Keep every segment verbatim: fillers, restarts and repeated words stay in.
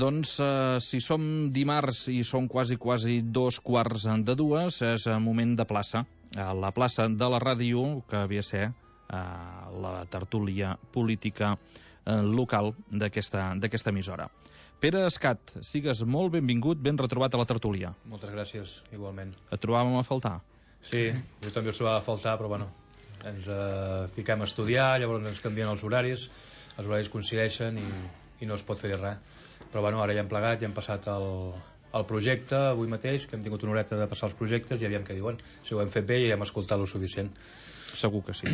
Doncs eh, si som dimarts i són quasi quasi dos quarts de dues, és moment de plaça. A la plaça de la ràdio, que havia de ser eh, la tertúlia política eh, local d'aquesta d'aquesta emissora. Pere Escat, sigues molt benvingut, ben retrobat a la tertúlia. Moltes gràcies, igualment. Et trobàvem a faltar? Sí, jo també us trobava a faltar, però bueno, ens eh, fiquem a estudiar, llavors ens canvien els horaris, els horaris coincideixen i, i no es pot fer res. Però bueno, ara ja hem plegat, ja hem passat el, el projecte avui mateix, que hem tingut una horeta de passar els projectes i aviam què diuen. Si ho hem fet bé i hem escoltat lo suficient. Segur que sí.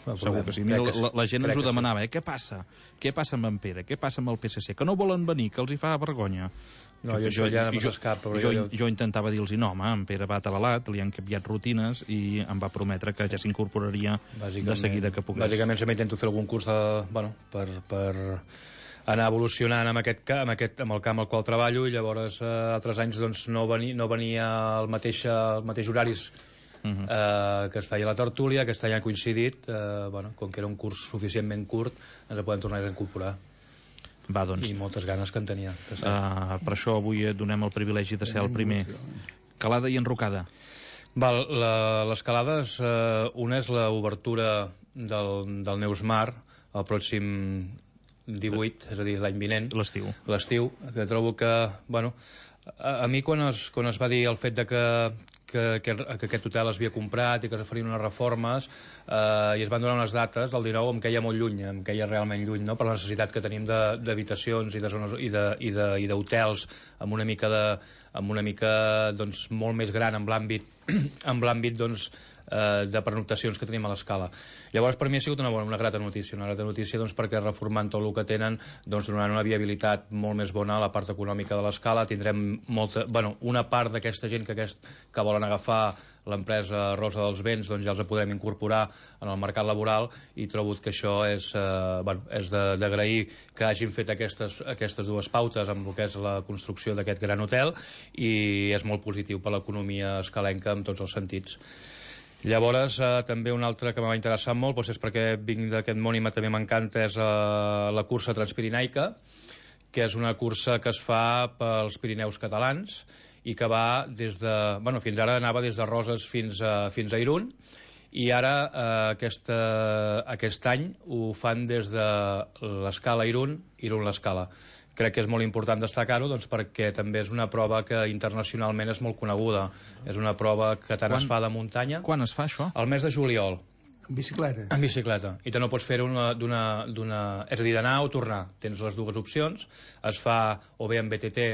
Segur que sí. Mira, la, la gent ens ho demanava, eh? Què passa? Què passa amb en Pere? Què passa amb el P S C? Que no volen venir, que els hi fa vergonya. No, jo, jo ja no m'ho escap. Jo, jo, jo intentava dir-los, no, home, en Pere va atabalat, li han canviat rutines i em va prometre que ja s'incorporaria de seguida que pogués. Bàsicament sempre intento fer algun curs de, bueno, per, per anar evolucionant amb, aquest, amb, aquest, amb el camp al qual treballo, i llavors eh, altres anys doncs, no, venia, no venia al mateix, al mateix horaris Uh -huh. eh, que es feia la tertúlia. Aquest any ha coincidit, eh, bueno, com que era un curs suficientment curt, ens podem tornar a incorporar. Va, doncs. I moltes ganes que en tenia. Uh, per això avui et donem el privilegi de ser el primer. Calada i enrocada. Val, l'escalada, eh, una és l'obertura del, del Neus Mar el pròxim divuit, és a dir, l'any vinent. L'estiu. L'estiu, que trobo que, bueno, a, a mi quan es, quan es va dir el fet de que Que, que, que aquest hotel es havia comprat i que es farien unes reformes eh, i es van donar unes dates, el dinou em queia molt lluny, em queia realment lluny, no? Per la necessitat que tenim d'habitacions i de zones i de, i de, i d'hotels amb una mica de, amb una mica doncs molt més gran amb l'àmbit amb l'àmbit doncs eh, de pernoctacions que tenim a l'Escala. Llavors per mi ha sigut una bona, una grata notícia, una grata notícia doncs perquè reformant tot el que tenen doncs donaran una viabilitat molt més bona a la part econòmica de l'Escala. Tindrem molta, bueno, una part d'aquesta gent que, aquest, que volen agafar l'empresa Rosa dels Vents, doncs ja els podrem incorporar en el mercat laboral, i trobo que això és, eh, bueno, és d'agrair que hagin fet aquestes, aquestes dues pautes amb el que és la construcció d'aquest gran hotel, i és molt positiu per l'economia escalenca en tots els sentits. Llavors, eh, també un altre que m'ha interessat molt, doncs és perquè vinc d'aquest món i també m'encanta, és eh, la cursa transpirinaica, que és una cursa que es fa pels Pirineus catalans i que va des de... Bueno, fins ara anava des de Roses fins a, fins a Irún, i ara eh, aquesta, aquest any ho fan des de l'Escala Irún, Irún-l'Escala. Crec que és molt important destacar-ho, doncs, perquè també és una prova que internacionalment és molt coneguda. És una prova que tant quan, es fa de muntanya... Quan es fa això? Al mes de juliol. En bicicleta? En bicicleta. I te no pots fer-ho d'una... És a dir, d'anar o tornar. Tens les dues opcions. Es fa o bé en B T T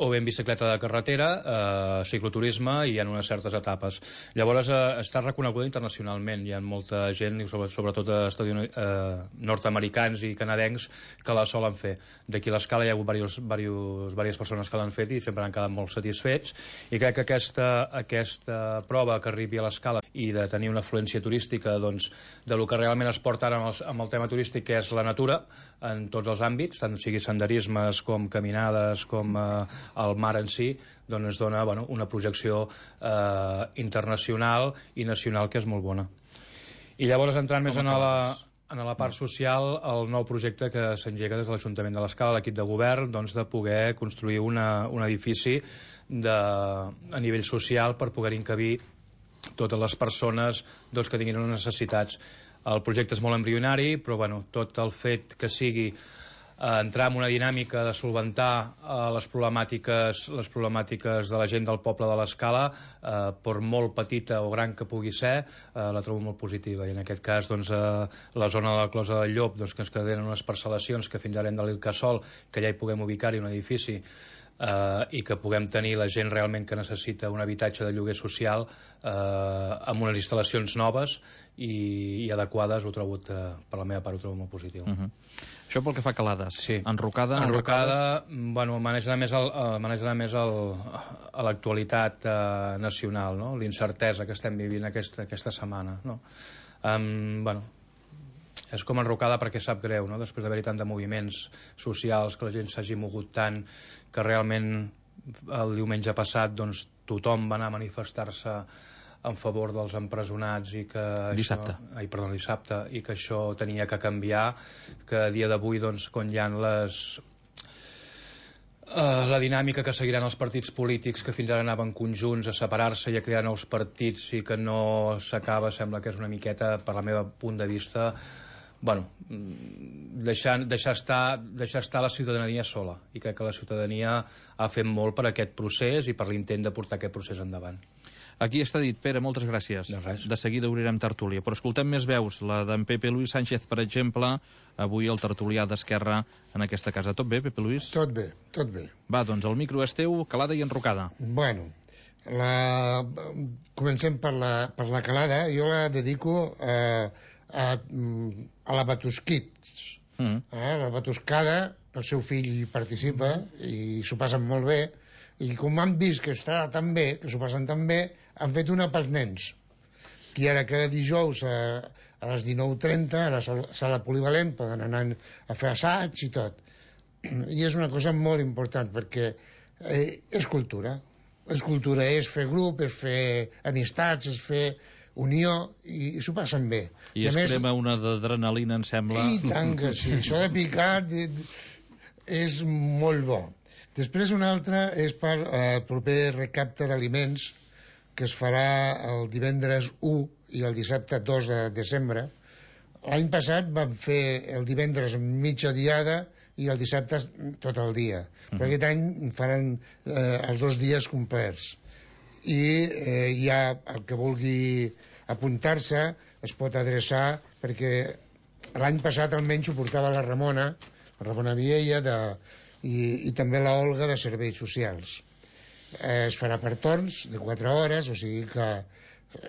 o bé en bicicleta de carretera, eh, cicloturisme, i hi ha unes certes etapes. Llavors eh, està reconeguda internacionalment. Hi ha molta gent, sobretot eh, nord-americans i canadencs, que la solen fer. D'aquí a l'Escala hi ha hagut diversos, diversos, diverses persones que l'han fet i sempre han quedat molt satisfets, i crec que aquesta, aquesta prova que arribi a l'Escala i de tenir una afluència turística, doncs, de lo que realment es porta ara amb el, amb el tema turístic, que és la natura en tots els àmbits, tant sigui senderismes com caminades, com eh, el mar en si, doncs ens dona, bueno, una projecció eh, internacional i nacional que és molt bona. I llavors, entrant més en la, en la part social, el nou projecte que s'engega des de l'Ajuntament de l'Escala, l'equip de govern, doncs, de poder construir una, un edifici de, a nivell social per poder encabir totes les persones, doncs, que tinguin unes necessitats. El projecte és molt embrionari, però bueno, tot el fet que sigui entrar en una dinàmica de solventar eh, les problemàtiques les problemàtiques de la gent del poble de l'Escala, eh, per molt petita o gran que pugui ser, eh, la trobo molt positiva. I en aquest cas, doncs, eh, la zona de la Closa del Llop, doncs, que ens queden unes parcel·lacions que fins ara hem de l'Ilcasol, que ja hi puguem ubicar-hi un edifici, Uh, i que puguem tenir la gent realment que necessita un habitatge de lloguer social uh, amb unes instal·lacions noves i, i adequades, ho trobo, uh, per la meva part ho trobo molt positiu. Uh -huh. Això pel que fa a Calades. Sí. Enrocada, enrocada, bueno, maneja més, el, uh, maneja més el, a l'actualitat uh, nacional, no? L'incertesa que estem vivint aquesta, aquesta setmana, no? Um, bueno, és com enrocada perquè sap greu, no? Després d'haver-hi tant de moviments socials, que la gent s'hagi mogut tant, que realment el diumenge passat, doncs, tothom va anar a manifestar-se en favor dels empresonats i que dissabte. Això, ai, perdó, dissabte, i que això tenia que canviar, que a dia d'avui, doncs, quan hi ha les Uh, la dinàmica que seguiran els partits polítics que fins ara anaven conjunts a separar-se i a crear nous partits i que no s'acaba, sembla que és una miqueta, per la meva punt de vista, bueno, deixar, deixar, estar, deixar estar la ciutadania sola, i crec que la ciutadania ha fet molt per aquest procés i per l'intent de portar aquest procés endavant. Aquí està dit. Pere, moltes gràcies. De res. De seguida obrirem tertúlia. Però escoltem més veus. La d'en Pepe Luis Sánchez, per exemple, avui el tertulià d'Esquerra en aquesta casa. Tot bé, Pepe Luis? Tot bé, tot bé. Va, doncs el micro és teu, calada i enrocada. Bueno, la... comencem per la, per la calada. Jo la dedico a, a, a la Batusquits. Mm. Eh? La Batuscada, el seu fill participa i s'ho passen molt bé. I com han vist que està tan bé, que s'ho passen tan bé, han fet una pels nens. I ara cada dijous a, a les dinou trenta a la sala polivalent poden anar a fer assaig i tot. I és una cosa molt important perquè eh, és cultura. És cultura, és fer grup, és fer amistats, és fer unió i, i s'ho passen bé. I, I es més, crema una d'adrenalina, em sembla. I tant que sí. Això de picar és molt bo. Després una altra és per el proper recapte d'aliments que es farà el divendres u i el dissabte dos de desembre. L'any passat vam fer el divendres mitja diada i el dissabte tot el dia. Uh-huh. Però aquest any faran eh, els dos dies complets. I eh, ja el que vulgui apuntar-se es pot adreçar, perquè l'any passat almenys ho portava la Ramona, la Ramona Viella, de, i, i també la Olga de Serveis Socials. Eh, es farà per torns de quatre hores, o sigui que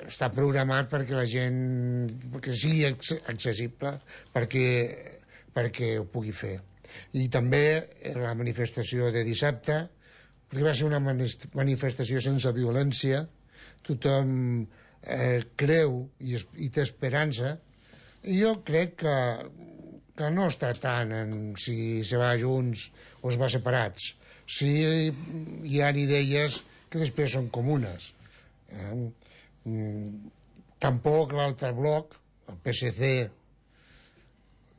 està programat perquè la gent perquè sigui accessible, perquè, perquè ho pugui fer. I també la manifestació de dissabte, perquè va ser una manifestació sense violència, tothom eh, creu i, es, i té esperança, i jo crec que, que no està tant en si se va junts o es va separats. Sí, hi ha idees que després són comunes. Eh? Tampoc l'altre bloc, el P S C,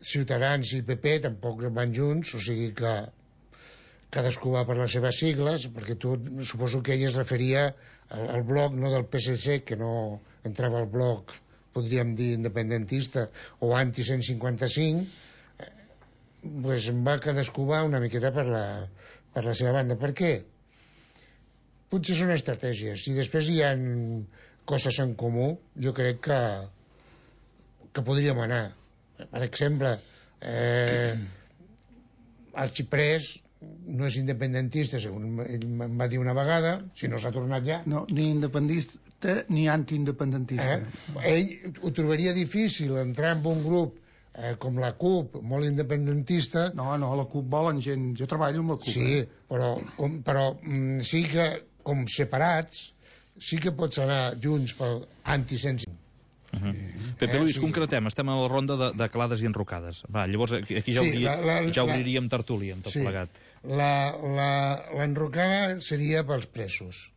Ciutadans i P P, tampoc van junts, o sigui que cadascú va per les seves sigles, perquè tu suposo que ell es referia al, al bloc no del P S C, que no entrava al bloc, podríem dir, independentista o anti cent cinquanta-cinc, eh, pues va cadascú va una miqueta per la... per la seva banda. Per què? Potser són estratègies. Si després hi ha coses en comú, jo crec que que podríem anar. Per exemple, eh, el xiprès no és independentista, segons ell em va dir una vegada, si no s'ha tornat ja. No, ni independentista ni antiindependentista. Eh? Ell ho trobaria difícil entrar en un grup Eh, com la CUP, molt independentista. No, no, la CUP volen gent... Jo treballo amb la CUP. Sí, eh? però, com, però mm, sí que, com separats, sí que pots anar junts pel anti-cent cinquanta. Uh -huh. eh, Pepe Luis, sí. Concretem, estem a la ronda de, de calades i enrocades. Va, llavors aquí ja, sí, obri, la, la, ja obriríem la, tertúlia amb tot sí, plegat. L'enrocada seria pels presos.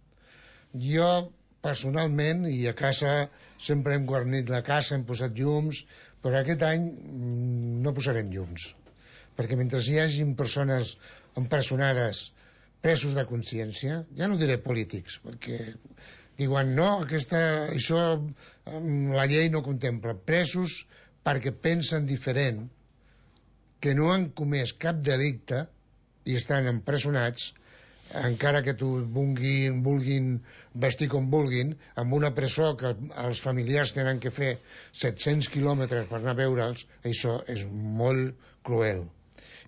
Jo, personalment, i a casa sempre hem guarnit la casa, hem posat llums, però aquest any no posarem llums, perquè mentre hi hagi persones empresonades, presos de consciència, ja no diré polítics, perquè diuen no, aquesta, això la llei no contempla, presos perquè pensen diferent, que no han comès cap delicte i estan empresonats, encara que tu vulguin, vulguin vestir com vulguin, amb una presó que els familiars tenen que fer set-cents quilòmetres per anar a veure'ls, això és molt cruel.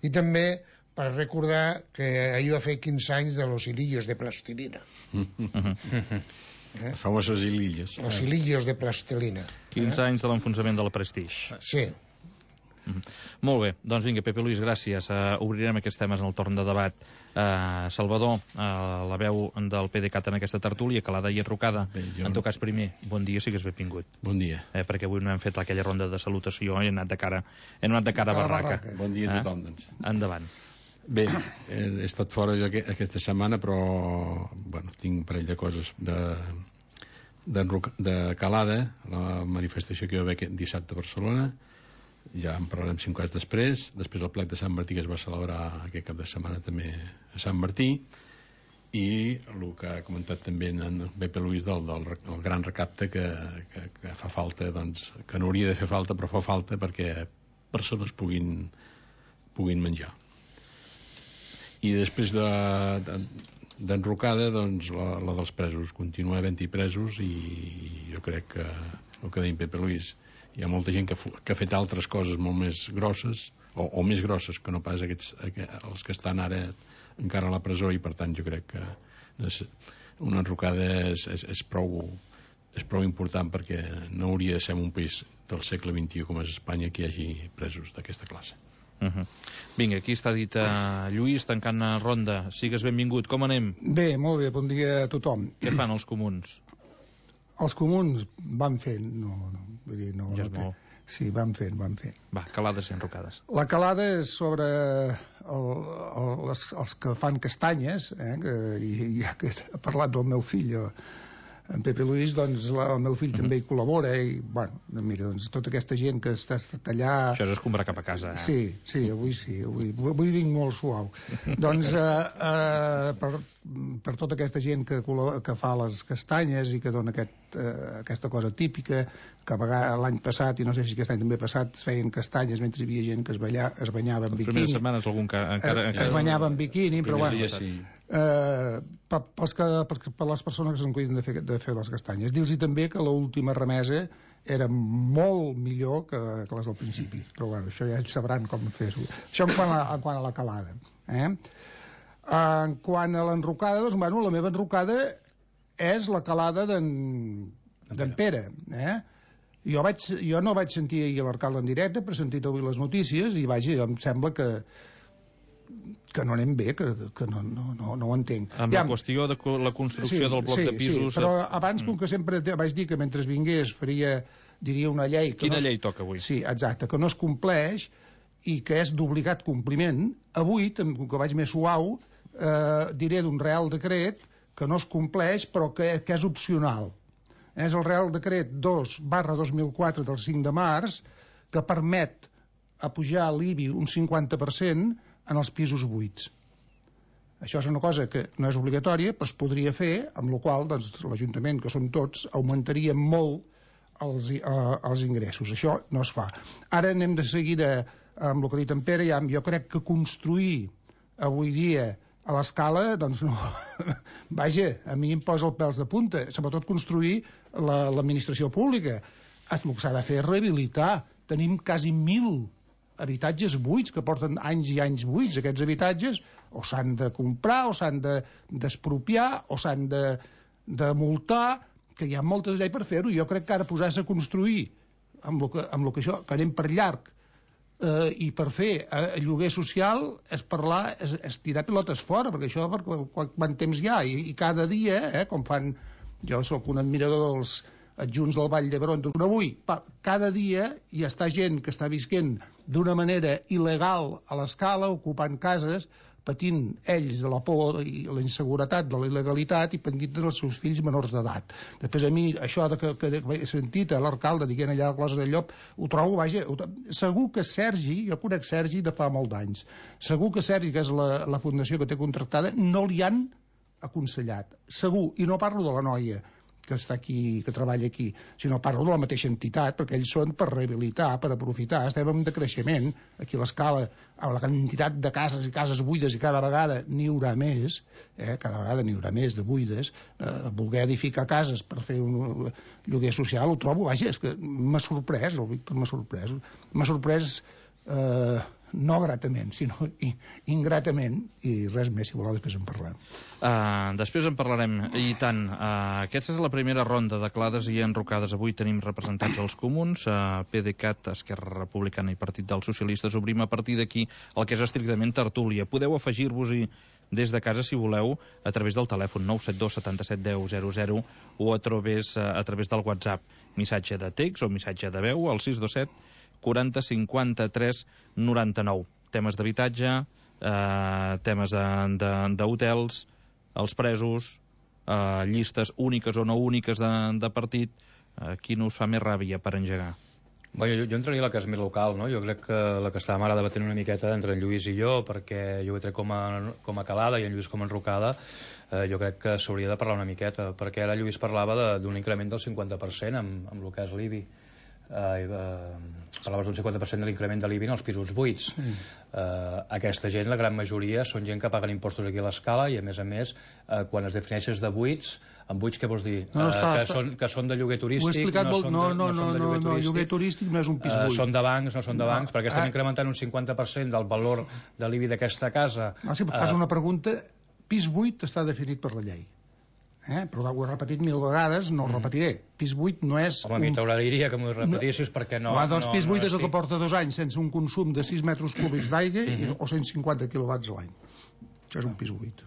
I també per recordar que ahir va fer quinze anys de los hilillos de plastilina. eh? Els famosos hilillos. Los hilillos de plastilina. quinze eh? anys de l'enfonsament de la Prestige. Sí. Mm. Molt bé, doncs vinga, Pepe Luis, gràcies. Uh, obrirem aquests temes en el torn de debat. Uh, Salvador, uh, la veu del PDeCAT en aquesta tertúlia, calada i enrocada. Bé, jo... En tot cas, primer, bon dia, sí que és benvingut. Bon dia. Eh, perquè avui no hem fet aquella ronda de salutació i hem anat de cara, hem anat de cara a barraca. barraca. Bon dia a tothom, doncs. Eh? Endavant. Bé, he estat fora jo aquesta setmana, però bueno, tinc un parell de coses de, de, de calada, la manifestació que hi va haver dissabte a Barcelona. ja en parlarem cinc anys després. Després el plec de Sant Martí, que es va celebrar aquest cap de setmana també a Sant Martí, i el que ha comentat també en Pepe Luis del, del, del gran recapte que, que, que fa falta, doncs, que no hauria de fer falta però fa falta perquè persones puguin, puguin menjar. I després de, de, d'enrocada, doncs la, la dels presos, continua havent-hi presos, i jo crec que el que deia Pepe Luis, hi ha molta gent que, que ha fet altres coses molt més grosses o, o més grosses que no pas aquests, els que estan ara encara a la presó, i per tant jo crec que una enrocada és, és, és, prou, és prou important, perquè no hauria de ser un país del segle vint-i-u com és Espanya que hi hagi presos d'aquesta classe. Uh-huh. Vinga, aquí està dit uh, Lluís, tancant ronda. Sigues benvingut, com anem? Bé, molt bé, bon dia a tothom. Què fan els comuns? Els comuns van fent, no, no, vull dir, no, ja és no, molt. Sí, van fent, van fent. Va, calades i enrocades. La calada és sobre el, el, els, els que fan castanyes, eh, que, i ja que ha parlat del meu fill, en Pepe Luis, doncs la, el meu fill uh-huh. també hi col·labora, i, bueno, mira, doncs tota aquesta gent que està allà... Això és escombrar cap a casa, eh? Sí, sí, avui sí, avui, avui vinc molt suau. Doncs eh, eh, per, per tota aquesta gent que, que fa les castanyes i que dona aquest, eh, aquesta cosa típica, que a vegades l'any passat, i no sé si aquest any també passat, es feien castanyes mentre hi havia gent que es, balla, es banyava en les biquini. Les primeres setmanes algun que encara... Eh, es banyava en biquini, però bueno... Sí. Eh, per, pels que, per, per les persones que se'n cuiden de fer, de fer les castanyes. Dir-los també que l'última remesa era molt millor que, que les del principi, però bueno, això ja sabran com fer-ho. Això en quant a, en quant a la calada. Eh? En quant a l'enrocada, doncs, bueno, la meva enrocada és la calada d'en Pere. Eh? Jo, vaig, jo no vaig sentir ahir l'alcalde en directe, però he sentit avui les notícies, i vaja, em sembla que que no anem bé, que, que no, no, no, no ho entenc. Amb ja, la qüestió de la construcció sí, del bloc sí, de pisos... Sí, però abans, com que sempre vaig dir que mentre vingués faria, diria una llei... Que Quina no es, llei toca avui? Sí, exacte, que no es compleix i que és d'obligat compliment. Avui, com que vaig més suau, eh, diré d'un Real Decret que no es compleix, però que, que és opcional. És el Real Decret dos barra dos mil quatre del cinc de març, que permet apujar l'I B I un cinquanta per cent en els pisos buits. Això és una cosa que no és obligatòria, però es podria fer, amb la qual doncs, l'Ajuntament, que són tots, augmentaria molt els, eh, els ingressos. Això no es fa. Ara anem de seguida amb el que ha dit en Pere. Ja, jo crec que construir avui dia a l'escala, doncs no... Vaja, a mi em posa els pèls de punta, sobretot construir l'administració pública. El que s'ha de fer és rehabilitar. Tenim quasi mil habitatges buits, que porten anys i anys buits. Aquests habitatges o s'han de comprar, o s'han d'expropiar, de, o s'han de, de multar, que hi ha moltes lleis per fer-ho. Jo crec que ara posar-se a construir amb el que, amb el que això, que anem per llarg, eh, i per fer eh, lloguer social, és parlar, és, és tirar pilotes fora, perquè això per quant temps hi ha, i, i cada dia, eh, com fan... Jo sóc un admirador dels adjunts del Vall d'Hebron, avui, cada dia hi està gent que està visquent d'una manera il·legal a l'escala, ocupant cases, patint ells de la por i la inseguretat de la il·legalitat i pendint dels seus fills menors d'edat. Després a mi, això de que, que he sentit a l'alcalde dient allà a Closa del Llop, ho trobo, vaja, ho, segur que Sergi, jo conec Sergi de fa molt d'anys, segur que Sergi, que és la, la fundació que té contractada, no li han aconsellat, segur, i no parlo de la noia que està aquí, que treballa aquí, sinó parlo de la mateixa entitat, perquè ells són per rehabilitar, per aprofitar. Estem en decreixement, aquí a l'escala, a la quantitat de cases i cases buides, i cada vegada n'hi haurà més, eh? cada vegada n'hi haurà més de buides, eh, voler edificar cases per fer un lloguer social, ho trobo, vaja, és que m'ha sorprès, el Víctor m'ha sorprès, m'ha sorprès eh, no gratament, sinó ingratament, i res més, si voleu, després en parlem. Uh, després en parlarem, i tant. Uh, aquesta és la primera ronda de clades i enrocades. Avui tenim representats els comuns, uh, PDeCAT, Esquerra Republicana i Partit dels Socialistes. Obrim a partir d'aquí el que és estrictament tertúlia. Podeu afegir-vos-hi des de casa, si voleu, a través del telèfon nou set dos setanta-set deu zero zero o a través, uh, a través del WhatsApp. Missatge de text o missatge de veu al sis dos set quaranta cinquanta tres noranta-nou. Temes d'habitatge, eh, temes d'hotels, els presos, eh, llistes úniques o no úniques de, de partit. Eh, quin us fa més ràbia per engegar? Bueno, jo, jo entraria a la que és més local, no? Jo crec que la que estàvem ara debatent una miqueta entre en Lluís i jo, perquè jo ho he tret com a, com a calada i en Lluís com a enrocada, eh, jo crec que s'hauria de parlar una miqueta, perquè ara Lluís parlava d'un increment del cinquanta per cent amb, amb el que és l'I B I. Eh, eh, parlaves d'un cinquanta per cent de l'increment de l'I B I en els pisos buits. Sí. Eh, aquesta gent, la gran majoria, són gent que paguen impostos aquí a l'Escala i, a més a més, eh, quan es defineixes de buits, amb buits què vols dir? No, no, està, eh, que, està... són, que són de lloguer turístic, ho he explicat, no, són no, de, no, no, no, són de no, lloguer no, turístic. lloguer turístic no és un pis buit. Uh, són de bancs, no són de bancs, no, perquè estan ah, incrementant un cinquanta per cent del valor de l'I B I d'aquesta casa. Ah, sí, fas uh, una pregunta, pis buit està definit per la llei. Eh? Però ho he repetit mil vegades, no ho repetiré. Pis buit no és... Home, a mi t'agradaria que m'ho repetissis, no, perquè no... Home, doncs no, pis buit no és el estic... que porta dos anys sense un consum de sis metres cúbics d'aigua uh -huh. o cent cinquanta quilowatts a l'any. Això és un pis buit.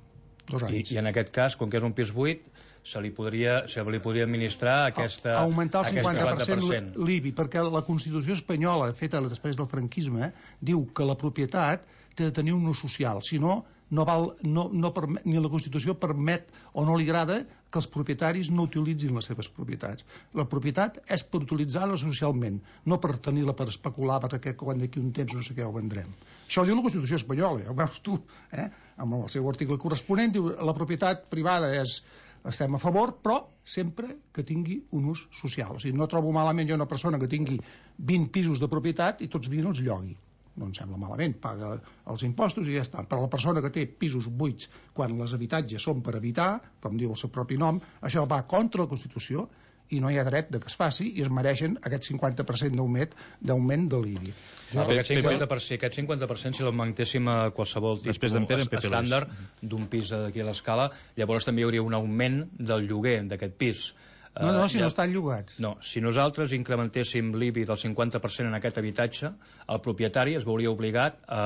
Dos anys. I, I en aquest cas, com que és un pis buit, se li podria, se li podria administrar aquesta, a, augmentar el cinquanta per cent, cinquanta per cent. l'I B I, perquè la Constitució espanyola, feta després del franquisme, diu que la propietat té de tenir un ús social, si no, no val, no, no permet, ni la Constitució permet o no li agrada que els propietaris no utilitzin les seves propietats. La propietat és per utilitzar-la socialment, no per tenir-la per especular, perquè quan d'aquí un temps no sé què ho vendrem. Això ho diu la Constitució espanyola, ja ho veus tu, eh? Amb el seu article corresponent, diu la propietat privada és, estem a favor, però sempre que tingui un ús social. O sigui, no trobo malament jo una persona que tingui vint pisos de propietat i tots vint els llogui. No em sembla malament, paga els impostos i ja està. Per a la persona que té pisos buits quan els habitatges són per habitar, com diu el seu propi nom, això va contra la Constitució i no hi ha dret de que es faci i es mereixen aquest cinquanta per cent d'augment de l'I B I. No, aquest, cinquanta per cent, aquest cinquanta per cent si l'augmentéssim a qualsevol tipus estàndard d'un pis d'aquí a l'Escala, llavors també hi hauria un augment del lloguer d'aquest pis. No, no, si no estan llogats. No, si nosaltres incrementéssim l'I B I del cinquanta per cent en aquest habitatge, el propietari es veuria obligat a,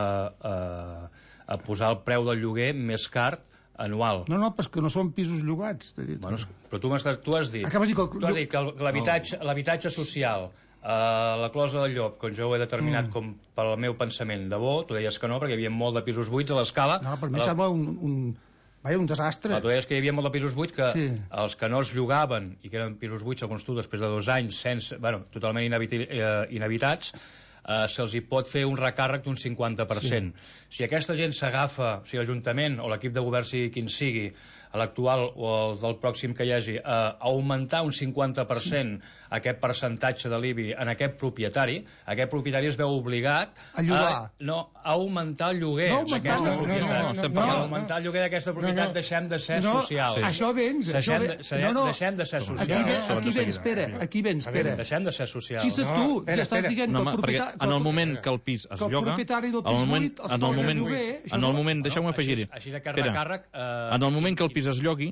a, a posar el preu del lloguer més car anual. No, no, però que no són pisos llogats. Dit. Bueno, però tu, tu has dit, Acabes dir que, tu has dit que l'habitatge social, uh, la closa del llop, com jo ho he determinat mm. com pel meu pensament de bo, tu deies que no, perquè hi havia molt de pisos buits a l'Escala. No, per mi la... sembla un... un... Vaja, un desastre. No, tu deies que hi havia molt de pisos buits que sí. Els que no es llogaven i que eren pisos buits, segons tu, després de dos anys sense, bueno, totalment inhabitats, eh, se'ls hi pot fer un recàrrec d'un cinquanta per cent. Sí. Si aquesta gent s'agafa, si l'Ajuntament o l'equip de govern sigui quin sigui, l'actual o el del pròxim que hi hagi, a augmentar un cinquanta per cent sí. aquest percentatge de l'I B I en aquest propietari, aquest propietari es veu obligat a llogar. A, no, a augmentar el lloguer no, d'aquesta no, propietat. No, no, no, no, no, a augmentar el lloguer d'aquesta propietat no, no. deixem de ser no, socials. Sí. Això vens. Deixem, això de, deixem, no, no. deixem de ser socials. Aquí, ve, aquí vens, espera, aquí vens, espera. Deixem de ser socials. Si se tu ja estàs dient no, que el propietari... En el moment que el pis es lloga... En el moment... En el moment, en el moment deixeu-me afegir-hi. Així de recàrrec... En el moment que el pis es llogui,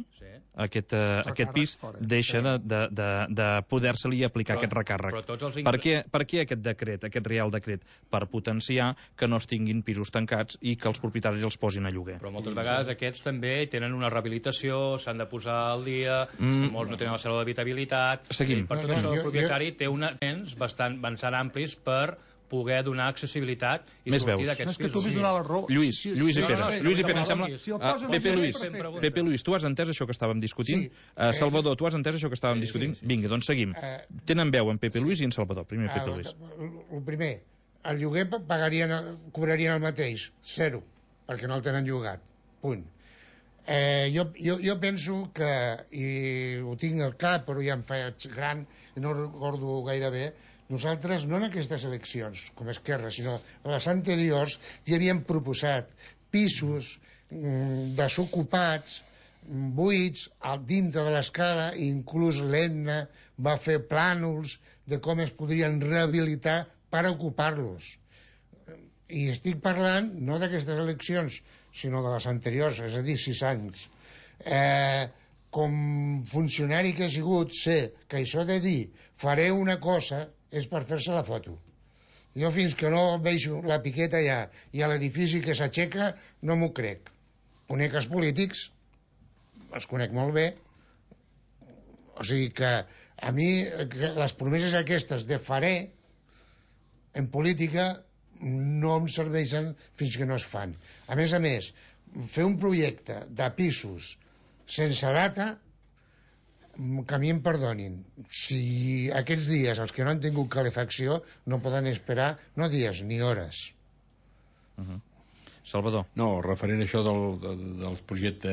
aquest, uh, aquest pis deixa de, de, de, de poder-se-li aplicar però, aquest recàrrec. Ingres... Per, què, per què aquest decret, aquest real decret? Per potenciar que no es tinguin pisos tancats i que els propietaris els posin a lloguer. Però moltes vegades aquests també tenen una rehabilitació, s'han de posar al dia, mm. molts no tenen la cèl·lula d'habitabilitat... Seguim. Per tot això el propietari té uns temps bastant, bastant amplis per poder donar accessibilitat i Més sortir d'aquests pisos. És que tu m'has donat la raó. Lluís, Lluís i Pere. No, no, no, Lluís i Pere, em no, sembla... si Uh, Pepe Luis, Pepe Luis, tu has entès això que estàvem discutint? Sí. Uh, Salvador, tu has entès això que estàvem sí, discutint? Sí, sí. Vinga, doncs seguim. Uh, Tenen veu en Pepe sí. Luis i en Salvador. Primer uh, Pepe Luis. El primer, el lloguer pagarien, cobrarien el mateix, zero, perquè no el tenen llogat. Punt. Eh, jo, jo, jo penso que, i ho tinc al cap, però ja em faig gran, i no recordo gaire bé, nosaltres, no en aquestes eleccions, com a Esquerra, sinó en les anteriors, ja havíem proposat pisos mm, desocupats, buits, al dintre de l'Escala, inclús l'Etna va fer plànols de com es podrien rehabilitar per ocupar-los. I estic parlant no d'aquestes eleccions, sinó de les anteriors, és a dir, sis anys. Eh, com funcionari que he sigut, sé que això de dir faré una cosa és per fer-se la foto. Jo fins que no veig la piqueta allà i a l'edifici que s'aixeca no m'ho crec. Conec els polítics, els conec molt bé, o sigui que a mi que les promeses aquestes de faré en política no em serveixen fins que no es fan. A més a més, fer un projecte de pisos sense data que a mi em perdonin, si aquests dies els que no han tingut calefacció no poden esperar, no dies ni hores. Uh -huh. Salvador. No, referent a això del, del, del projecte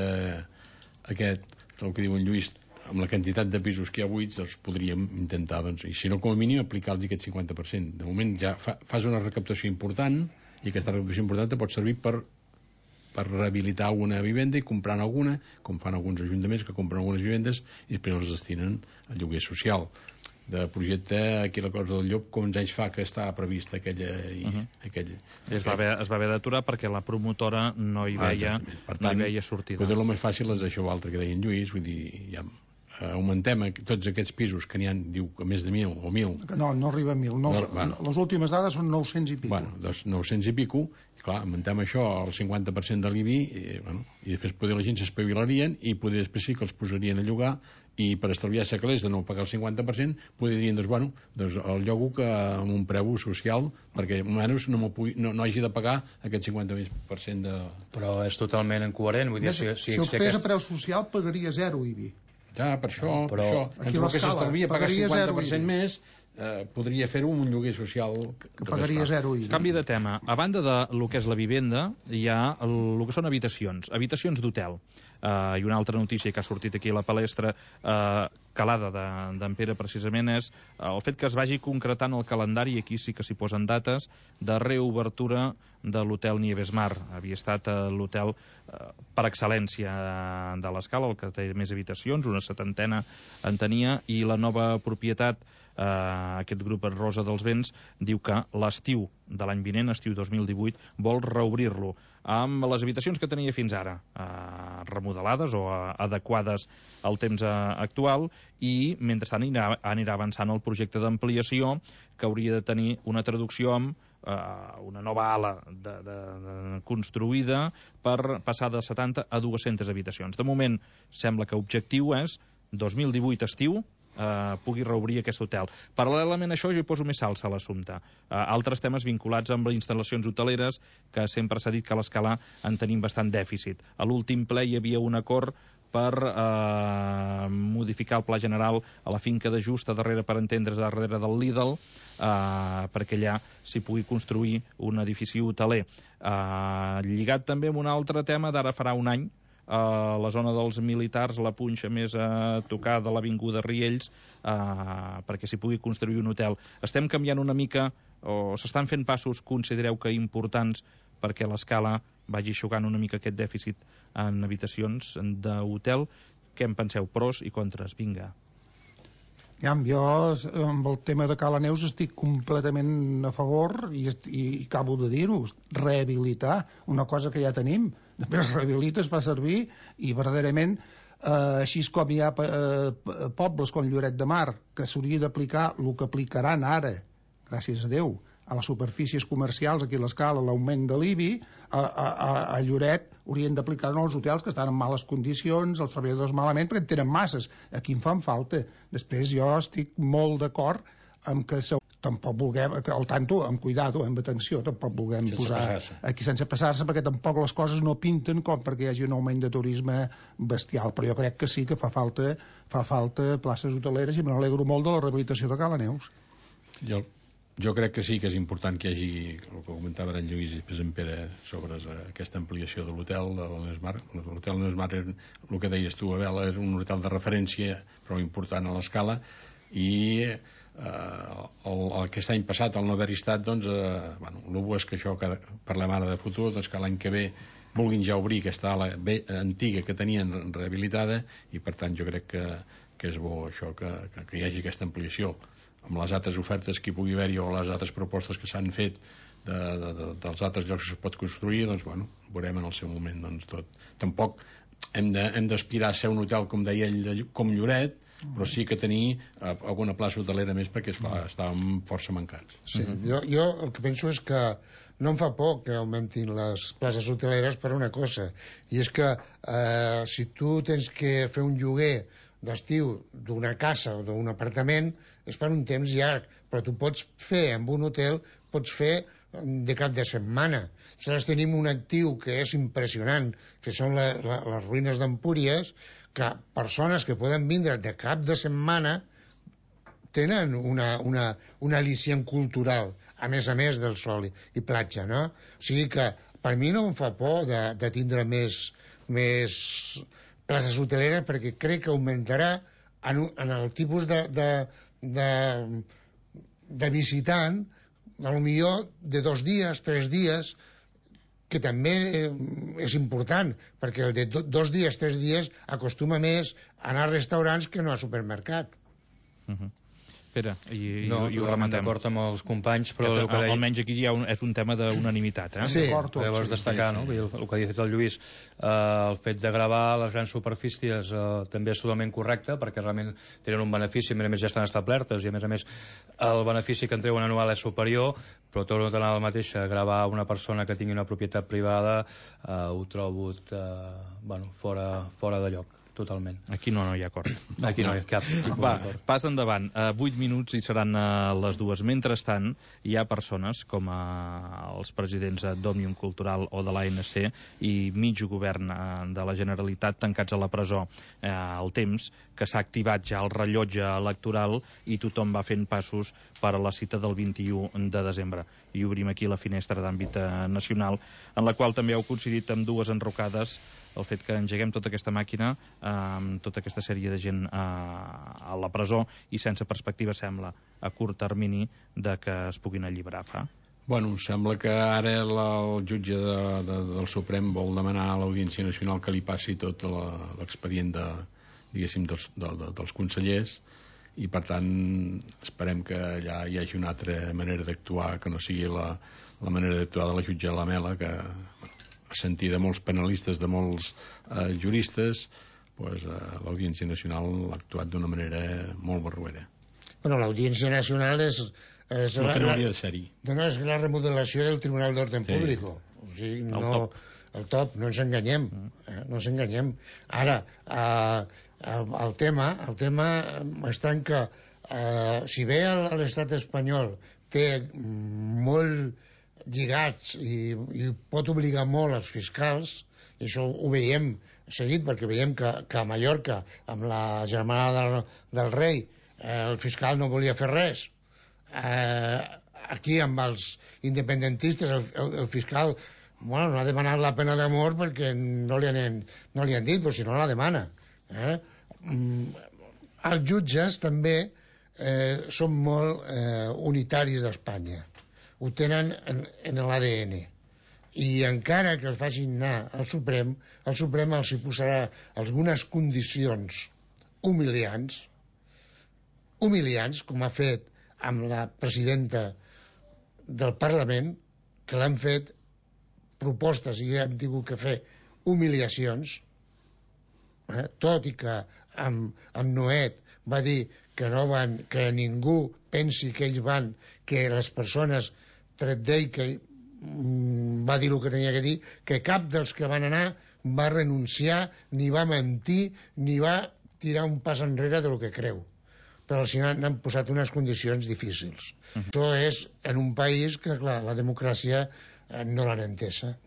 aquest, el que diu en Lluís, amb la quantitat de pisos que hi ha buits, doncs podríem intentar, doncs, i si no, com a mínim, aplicar-los aquest cinquanta per cent. De moment ja fa, fas una recaptació important, i aquesta recaptació important pot servir per per rehabilitar alguna vivenda i comprant alguna, com fan alguns ajuntaments que compren algunes vivendes i després els destinen al lloguer social. De projecte, aquí la cosa del Llop, quants anys fa que està prevista aquella... I, uh -huh. aquell, es, va haver, es va haver d'aturar perquè la promotora no hi veia, ah, per tant, no hi veia sortida. Potser el més fàcil és això altre que deia en Lluís, vull dir, ja augmentem tots aquests pisos que n'hi ha, diu, a més de mil o mil. No, no arriba a mil. No, no, bueno. Les últimes dades són nou-cents i pico. Bueno, doncs nou-cents i pico, i clar, augmentem això al cinquanta per cent de l'I B I, i, bueno, i després poder la gent s'espavilarien i poder després sí que els posarien a llogar i per estalviar-se calés de no pagar el cinquanta per cent podrien, doncs, bueno, doncs el llogo que amb un preu social perquè almenys no, pugui, no, no hagi de pagar aquest cinquanta per cent de... Però és totalment incoherent. Vull dir, si, si, si, si el si fes aquest... a preu social pagaria zero I B I. Ja, per això, no, però per això. Aquí entre el que s'estalvia pagar cinquanta per cent zero més, eh, podria fer-ho amb un lloguer social que, que pagaria zero I B I. Canvi de tema. A banda de lo que és la vivenda, hi ha el, el que són habitacions, habitacions d'hotel. Uh, I una altra notícia que ha sortit aquí a la palestra, uh, calada d'en de, Pere, precisament, és uh, el fet que es vagi concretant el calendari, i aquí sí que s'hi posen dates, de reobertura de l'hotel Nieves Mar. Havia estat uh, l'hotel uh, per excel·lència de l'Escala, el que té més habitacions, una setantena en tenia, i la nova propietat, Uh, aquest grup Rosa dels Vents, diu que l'estiu de l'any vinent, estiu dos mil divuit, vol reobrir-lo amb les habitacions que tenia fins ara, uh, remodelades o uh, adequades al temps uh, actual, i mentrestant anirà, anirà avançant el projecte d'ampliació que hauria de tenir una traducció amb uh, una nova ala de, de, de, construïda per passar de setanta a dues-centes habitacions. De moment sembla que l'objectiu és dos mil divuit estiu, Uh, pugui reobrir aquest hotel. Paral·lelament a això, jo hi poso més salsa a l'assumpte. Uh, altres temes vinculats amb les instal·lacions hoteleres, que sempre s'ha dit que a l'Escala en tenim bastant dèficit. A l'últim ple hi havia un acord per uh, modificar el pla general a la finca de Just, a darrere, per entendre's, darrere del Lidl, uh, perquè allà s'hi pugui construir un edifici hoteler. Uh, lligat també amb un altre tema d'ara farà un any, a la zona dels militars, la punxa més a tocar de l'avinguda Riells, eh, perquè s'hi pugui construir un hotel. Estem canviant una mica, o s'estan fent passos, considereu que importants, perquè l'Escala vagi aixugant una mica aquest dèficit en habitacions d'hotel. Què en penseu? Pros i contres? Vinga. Ja, jo amb el tema de Cala Neus estic completament a favor i, i acabo de dir-ho, rehabilitar una cosa que ja tenim. Després rehabilita, es fa servir i verdaderament, eh, així com hi ha eh, pobles com Lloret de Mar que s'hauria d'aplicar el que aplicaran ara, gràcies a Déu, a les superfícies comercials, aquí a l'Escala, l'augment de l'I B I, a, a, a Lloret haurien d'aplicar-ho als hotels que estan en males condicions, els treballadors malament, perquè en tenen masses. Aquí en fan falta. Després jo estic molt d'acord amb que se, tampoc vulguem, al tanto, amb cuidado, amb atenció, tampoc vulguem sense posar passar-se. aquí sense passar-se, perquè tampoc les coses no pinten com perquè hi hagi un augment de turisme bestial, però jo crec que sí que fa falta, fa falta places hoteleres i me n'alegro molt de la rehabilitació de Cala Neus. Jo Jo crec que sí que és important que hi hagi, el que comentava en Lluís i després en Pere, sobre aquesta ampliació de l'hotel de l'Esmar. L'hotel de l'Esmar, el que deies tu, Abel, és un hotel de referència prou important a l'Escala, i eh, el, el, aquest any passat, al no haver-hi estat, doncs, eh, bueno, l'U B O és que això, que parlem ara de futur, doncs que l'any que ve vulguin ja obrir aquesta ala bé, antiga que tenien rehabilitada, i per tant jo crec que, que és bo això, que, que, que hi hagi aquesta ampliació amb les altres ofertes que hi pugui haver-hi o les altres propostes que s'han fet de, de, de, dels altres llocs que es pot construir, doncs bueno, veurem en el seu moment doncs, tot. Tampoc hem d'aspirar de, a ser un hotel, com deia ell, de, com Lloret, però sí que tenir eh, alguna plaça hotelera més, perquè esclar, estàvem força mancats. Sí, jo, jo el que penso és que no em fa por que augmentin les places hoteleres per una cosa, i és que eh, si tu tens que fer un lloguer d'estiu d'una casa o d'un apartament és per un temps llarg, però tu pots fer amb un hotel, pots fer de cap de setmana. Nosaltres tenim un actiu que és impressionant, que són la, la, les ruïnes d'Empúries, que persones que poden vindre de cap de setmana tenen una, una, una al·licient cultural, a més a més del sol i, i platja, no? O sigui que per mi no em fa por de, de tindre més, més places hoteleres, perquè crec que augmentarà en, en el tipus de, de, de, de visitant, a lo millor de dos dies, tres dies, que també és important, perquè el de do, dos dies, tres dies acostuma més a anar a restaurants que no a supermercat. Uh-huh. Pere, i, no, i ho totalment rematem. d'acord amb els companys, però que, el que deia... almenys aquí hi ha un, és un tema d'unanimitat, eh? Sí, llavors destacar, no? El, el que ha dit el Lluís, eh, el fet de gravar les grans superfícies eh, també és totalment correcte, perquè realment tenen un benefici, a més a més ja estan establertes, i a més a més el benefici que en treuen anual és superior, però torno a tenir el mateix, gravar una persona que tingui una propietat privada eh, ho trobo eh, bueno, fora, fora de lloc. Totalment. Aquí no, no hi ha acord. Aquí no, no hi ha cap. Va, pas endavant. Uh, vuit minuts i seran uh, les dues. Mentrestant, hi ha persones com uh, els presidents d'Òmnium Cultural o de l'A N C i mig govern uh, de la Generalitat tancats a la presó uh, al temps, que s'ha activat ja el rellotge electoral i tothom va fent passos per a la cita del vint-i-u de desembre. I obrim aquí la finestra d'àmbit uh, nacional, en la qual també heu coincidit amb dues enrocades el fet que engeguem tota aquesta màquina amb eh, tota aquesta sèrie de gent eh, a la presó i sense perspectiva, sembla, a curt termini de que es puguin alliberar, fa? Bueno, sembla que ara la, el jutge de, de, del Suprem vol demanar a l'Audiència Nacional que li passi tot l'expedient de, diguéssim, dels, de, de, dels consellers, i per tant esperem que allà hi hagi una altra manera d'actuar que no sigui la, la manera d'actuar de la jutge Lamela, que bueno, a sentir de molts penalistes, de molts eh, juristes, pues, eh, l'Audiència Nacional ha actuat d'una manera molt barroera. Bueno, l'Audiència Nacional és... és no la, que no la, hauria de ser-hi. No, és la remodelació del Tribunal d'Orden Sí. Públic. O sigui, no, El top. El top, no ens enganyem. Eh? No ens enganyem. Ara, eh, el tema, el tema està en que eh, si bé l'estat espanyol té molt lligats i, i pot obligar molt els fiscals, i això ho veiem seguit, perquè veiem que, que a Mallorca, amb la germana del, del rei, eh, el fiscal no volia fer res. Eh, aquí, amb els independentistes, el, el, el fiscal bueno, no ha demanat la pena de mort perquè no li han, no li han dit, però si no la demana. Eh? Els jutges també eh, són molt eh, unitaris d'Espanya. Ho tenen en, en l'A D N. I encara que els facin anar al Suprem, el Suprem els hi posarà algunes condicions humiliants, humiliants, com ha fet amb la presidenta del Parlament, que l'han fet propostes i han tingut que fer humiliacions, eh? Tot i que amb, amb Noet va dir que, no van, que ningú pensi que ells van, que les persones tret d'ell que mm, va dir el que tenia que dir, que cap dels que van anar va renunciar, ni va mentir, ni va tirar un pas enrere del que creu. Però al final han posat unes condicions difícils. Uh-huh. Això és en un país que, clar, la democràcia eh, no l'han entesa.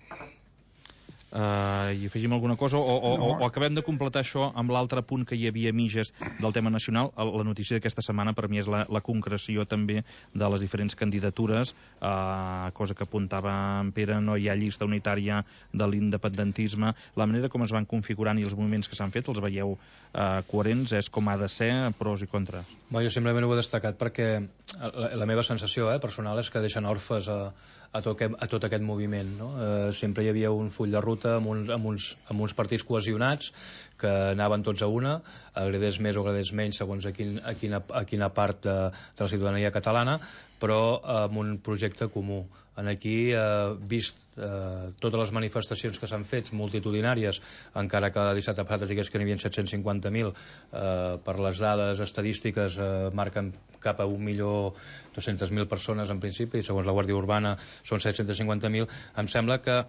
Uh, i afegim alguna cosa o, o, no. o, o acabem de completar això amb l'altre punt que hi havia mitges del tema nacional. La notícia d'aquesta setmana per mi és la, la concreció també de les diferents candidatures, uh, cosa que apuntava en Pere, no hi ha llista unitària de l'independentisme, la manera com es van configurant i els moviments que s'han fet, els veieu uh, coherents, és com ha de ser, pros i contres? Bé, jo simplement ho he destacat perquè la, la meva sensació eh, personal és que deixen orfes a, a, tot, aquest, a tot aquest moviment, no? Eh, sempre hi havia un full de ruta amb uns, amb, uns, amb uns partits cohesionats que anaven tots a una, agradés més o agradés menys segons a, quin, a, quina, a quina part de, de la ciutadania catalana, però amb un projecte comú. En aquí, eh, vist eh, totes les manifestacions que s'han fet, multitudinàries, encara que dissabte passat es digués que n'hi havia set-cents cinquanta mil, eh, per les dades estadístiques eh, marquen cap a un milió dos-centes mil persones en principi, i segons la Guàrdia Urbana són set-cents cinquanta mil, em sembla que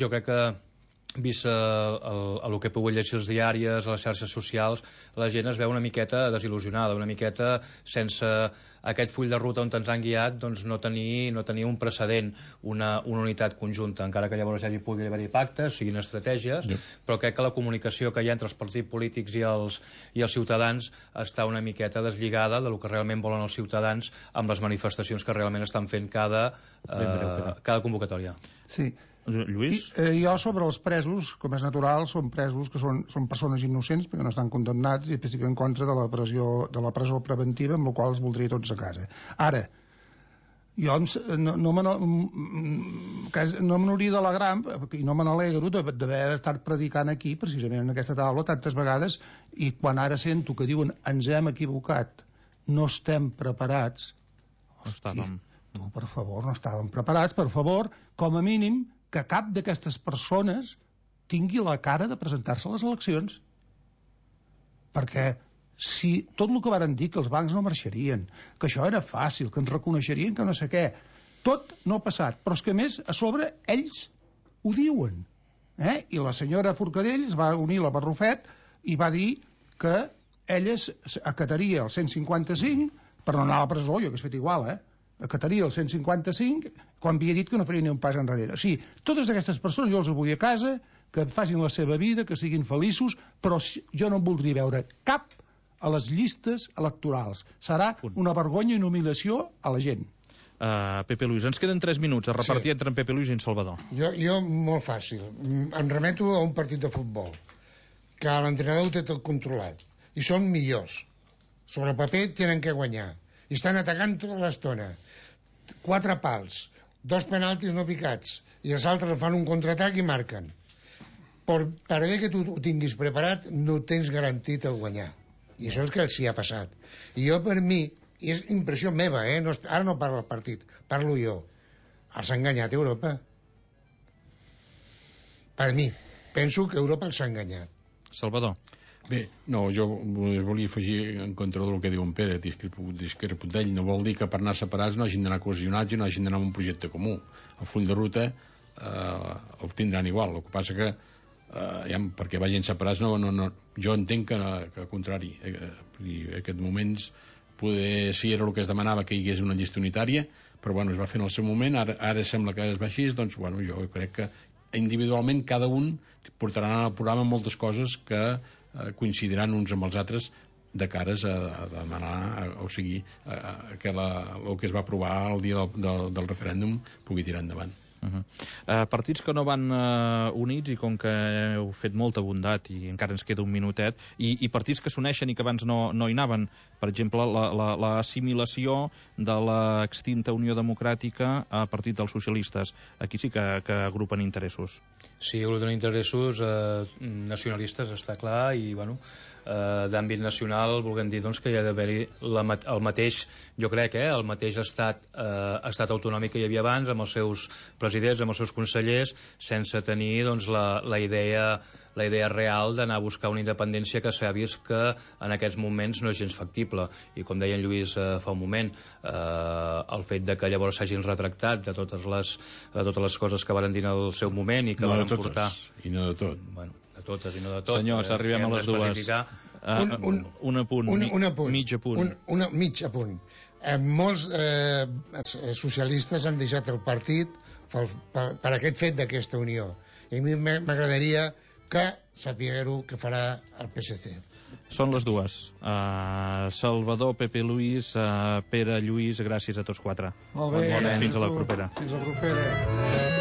jo crec que vist el, el, el que he pogut llegir als diaris, a les xarxes socials, la gent es veu una miqueta desil·lusionada, una miqueta sense aquest full de ruta on ens han guiat, doncs no tenir, no tenir un precedent, una, una unitat conjunta, encara que llavors hi pugui haver-hi pactes, siguin estratègies, yep. Però crec que la comunicació que hi ha entre els partits polítics i els, i els ciutadans està una miqueta deslligada del que realment volen els ciutadans amb les manifestacions que realment estan fent cada, eh, cada convocatòria. Sí. Lluís? I, eh, jo sobre els presos, com és natural, són presos que són, són persones innocents perquè no estan condemnats i estic en contra de la, pressió, de la presó preventiva, amb la qual els voldria tots a casa. Ara, jo no, no me no me n'hauria d'alegrar i no me n'alegro d'haver estat predicant aquí, precisament en aquesta taula, tantes vegades, i quan ara sento que diuen ens hem equivocat, no estem preparats. No estàvem. Tu, per favor, no estàvem preparats, per favor, com a mínim que cap d'aquestes persones tingui la cara de presentar-se a les eleccions. Perquè si tot el que varen dir, que els bancs no marxarien, que això era fàcil, que ens reconeixerien, que no sé què, tot no ha passat. Però és que, a més, a sobre, ells ho diuen. Eh? I la senyora Forcadell es va unir a la Barrufet i va dir que ella acataria el cent cinquanta-cinc per no anar a la presó, jo que he fet igual, eh? acataria el cent cinquanta-cinc quan havia dit que no faria ni un pas enrere. Sí, totes aquestes persones jo els vull a casa, que facin la seva vida, que siguin feliços, però jo no en voldria veure cap a les llistes electorals. Serà una vergonya i una humiliació a la gent. Uh, Pepe Luis, ens queden tres minuts a repartir sí. entre en Pepe Luis i en Salvador. Jo, jo molt fàcil. Em remeto a un partit de futbol, que l'entrenador ho té tot controlat, i són millors. Sobre el paper tenen que guanyar. I estan atacant tota l'estona. Quatre pals, dos penaltis no picats, i els altres fan un contraatac i marquen. Per, per bé que tu ho tinguis preparat, no tens garantit el guanyar. I això és que els hi ha passat. I jo, per mi, i és impressió meva, eh? no, ara no parlo del partit, parlo jo. Els ha enganyat Europa. Per mi, penso que Europa els ha enganyat. Salvador. Bé, no, jo volia afegir en contra del que diu en Pere, discrepo d'ell, no vol dir que per anar separats no hagin d'anar cohesionats i no hagin d'anar en un projecte comú. El full de ruta eh, el tindran igual, el que passa que eh, ja, perquè vagin separats no, no, no, jo entenc que, que al contrari, eh, i en aquests moments poder, si era el que es demanava que hi hagués una llista unitària, però bueno, es va fer en el seu moment, ara, ara sembla que es va així, doncs bueno, jo crec que individualment cada un portarà al programa moltes coses que eh, coincidiran uns amb els altres de cares a, a demanar, a, o sigui, a, a que la, el que es va aprovar el dia del, del, del referèndum pugui tirar endavant. Uh -huh. uh, partits que no van uh, units i com que heu fet molta bondat i encara ens queda un minutet i, i partits que s'uneixen i que abans no, no hi anaven, per exemple l'assimilació la, la, de l'extinta Unió Democràtica a partit dels socialistes, aquí sí que, que agrupen interessos. Sí, agrupen interessos eh, nacionalistes, està clar, i bueno, eh, d'àmbit nacional volguem dir doncs, que hi ha d'haver-hi el mateix, jo crec, eh, el mateix estat, eh, estat autonòmic que hi havia abans, amb els seus presidents, amb els seus consellers, sense tenir doncs, la, la idea la idea real d'anar a buscar una independència que s'ha vist que en aquests moments no és gens factible. I com deia en Lluís eh, fa un moment, eh, el fet de que llavors s'hagin retractat de totes les, de totes les coses que van dir en el seu moment i que no van totes, portar... I no de tot. Bueno, de totes i no de tot. Senyors, eh, arribem si a les dues. Uh, un, un, un apunt, un, un apunt, mig apunt. Un, una, mig apunt. Eh, molts eh, socialistes han deixat el partit per, per, per aquest fet d'aquesta unió. I a mi m'agradaria que sapigueu que farà el P S C. Són les dues. Uh, Salvador, Pepe Luis, uh, Pere, Lluís, gràcies a tots quatre. Molt bé. Bon, fins a la propera. Fins a la propera.